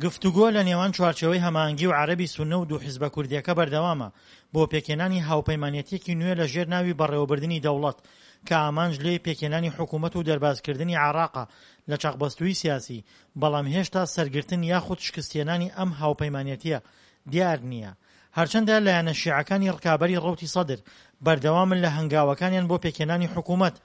گفتوگۆ لە نێوان چوارچێوەی هەماهەنگی و عەرەبی سوننە و دوو حیزبە کوردییەکە بەردەوامە بۆ پێکهێنانی هاوپەیمانێتییەکی نوێ لە ژێر ناوی بەڕێوەبردنی دەوڵەت کە ئامانج لێی پێکهێنانی حکوومەت و دەربازکردنی عێراقە لە چەقبەستوویی سیاسی، بەڵام هێشتا سەرگرتن یاخود شکستهێنانی ئەم هاوپەیمانێتییە دیار نییە. هەرچەندە لایەنە شیعەکانی ڕکابەری ڕەوتی سەدر بەردەوامن لە هەنگاوەکانیان بۆ پێکهێنانی حکوومەت،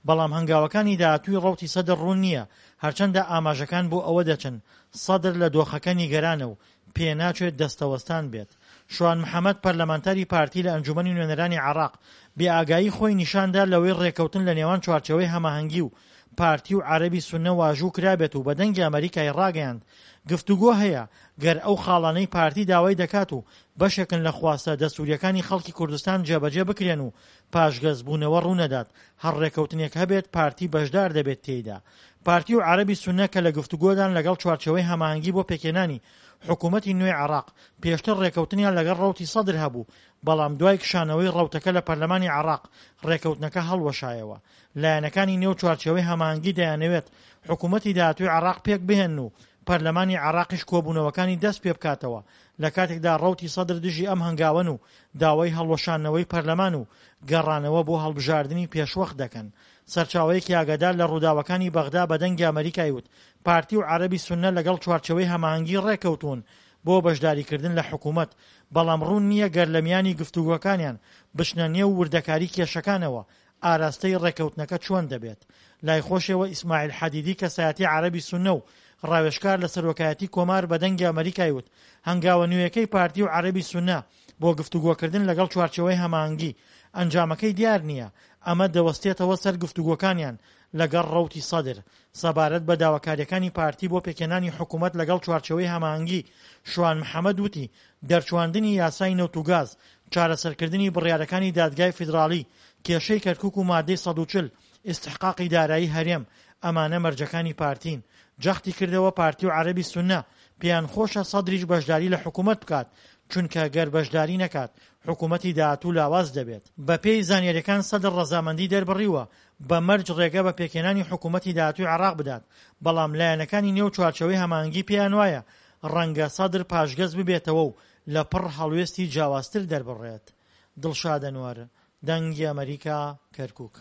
بەڵام هەنگاوەکانی داهاتووی ڕەوتی سەدر ڕوون نییە، هەرچەندە ئاماژەکان بۆ ئەوە دەچن سەدر لە دۆخەکە نیگەرانە و پێناچێت دەستەوەستان بێت. شوان محەمەد پەرلەمانتاری پارتی لە ئەنجومەنی نوێنەرانی عێراق بێئاگایی خۆی نیشاندا لەوەی ڕێککەوتن لە نێوان چوارچێوەی هەماهەنگی و پارتی و عەرەبی سوننە واژوو کرابێت و بە دەنگی ئەمەریکای ڕاگەیاند گفتوگۆ هەیە گەر ئەو خاڵانەی پارتی داوای دەکات و بەشێکن لە خواستە دەستوریەکانی خەڵکی کوردستان جێبەجێ بکرێن و پاشگەزبوونەوە ڕوونەدات هەر ڕێکەوتنێک هەبێت پارتی بەشدار دەبێت تێیدا. پارتی و عەرەبی سوننە کە لە گفتوگۆدان لەگەڵ چوارچێوەی هەماهەنگی بۆ پێکهێنانی حکوومەتی نوێی عێراق، پێشتر ڕێکەوتنیان لەگەڵ ڕەوتی سەدر هەبوو، بەڵام دوای کشانەوەی ڕەوتەکە لە پەرلەمانی عێراق، ڕێکەوتنەکە هەڵوەشایەوە. لایەنەکانی نێو چوارچێوەی هەماهەنگی دەیانەوێت حکوومەتی داهاتووی عێراق پێکبهێنن و پەرلەمانی عێراقیش کۆبوونەوەکانی دەست پێبکاتەوە، لە کاتێکدا ڕەوتی سەدر دژی ئەم هەنگاوەن و داوای هەڵوەشاندنەوەی پەرلەمان و گەڕانەوە بۆ هەڵبژاردنی پێشوەخت دەکەن. سەرچاوەیەکی ئاگادار لە ڕووداوەکانی بەغدا بە دەنگی ئەمەریکای وت، پارتی و عەرەبی سوننە لەگەڵ چوارچێوەی هەماهەنگی ڕێککەوتوون بۆ بەشداریکردن لە حکومەت، بەڵام ڕوون نییە گەر لە میانی گفتوگۆکانیان بچنە نێو وردەکاری کێشەکانەوە ئاراستەی ڕێککەوتنەکە چۆن دەبێت. لای خۆشیەوە ئیسماعیل حەدیدی کەسایەتی عەرەبی سوننە و ڕاوێژکار لە سەرۆکایەتی کۆمار بە دەنگی ئەمەریکای وت هەنگاوە نوێیەکەی پارتی و عەرەبی سوننە بۆ گفتوگۆکردن لەگەڵ چوارچێوەی هەماهەنگی ئەنجامەکەی دیار نییە، ئەمە دەوەستێتەوە سەر گفتوگۆکانیان لەگەڵ ڕەوتی سەدر. سەبارەت بە داواکارییەکانی پارتی بۆ پێکهێنانی حکومەت لەگەڵ چوارچێوەی هەماهەنگی، شوان محەمەد وتی، دەرچواندنی یاسای نەوت و گاز، چارەسەرکردنی بڕیارەکانی دادگای فیدراڵی، کێشەی کەرکوک و مادەی 140، ئیستحقاقی دارایی هەرێم، ئەمانە مەرجەکانی پارتین. جەختی کردەوە پارتی و عەرەبی سوننە پێیان خۆشە سەدریش بەشداری لە حکومەت بکات، چونکە گەر بەشداری نەکات حکومەتی داهاتوو لاواز دەبێت. بەپێی زانیاریەکان سەدر ڕەزامەندی دەربڕیوە بە مەرج ڕێگە بە پێکهێنانی حکومەتی داهاتووی عێراق بدات، بەڵام لایەنەکانی نێو چوارچێوەی هەماهەنگی پێیانوایە ڕەنگە سەدر پاشگەز ببێتەوە و لە پڕ هەڵوێستی جیاوازتر دەربڕێت. دڵشاد ئەنوەر، دەنگی ئەمەریکا، کەرکوک.